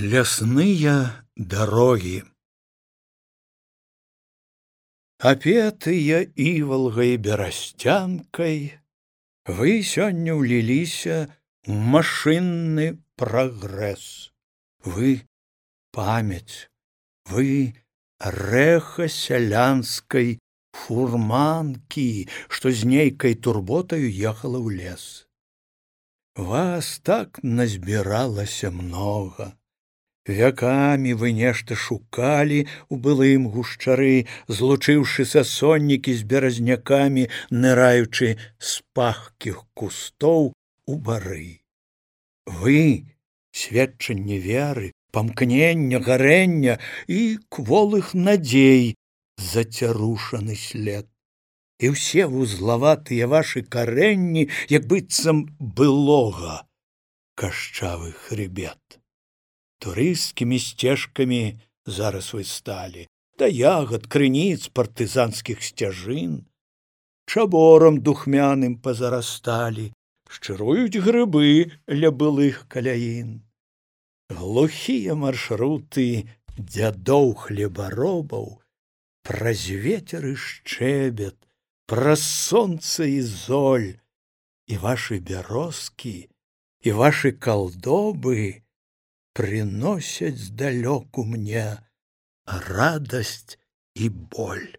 Лясные дороги. Апетыя івалгай берасцянкай, вы сёння ўліліся ў машынны прагрэс. Вы памяць, вы рэха сялянскай фурманкі, што з нейкай турботаю ехала ў лес. Вас так назбіралася многа. Вякамі вы нешта шукалі ў былым гушчары, злучыўшы са соннікі з беразнякамі, ныраючы з пахкіх кустоў у бары. Вы сведчанне веры, памкнення, гарэння і кволых надзей зацярушаны след. І ўсе вузлаватыя вашы карэнні, як быццам былога, кашчавы хрыбет. Турысцкімі сцежкамі зараз вы сталі, да ягад, крыніц, партызанскіх сцяжын, чаборам духмяным пазарасталі, шчыруюць грыбы ля былых каляін. Глухія маршруты дзядоў хлебаробаў праз ветер і шчэбет, праз сонца і золь, і вашы бярозкі, і вашы калдобы приносять здалёку мне радость и боль.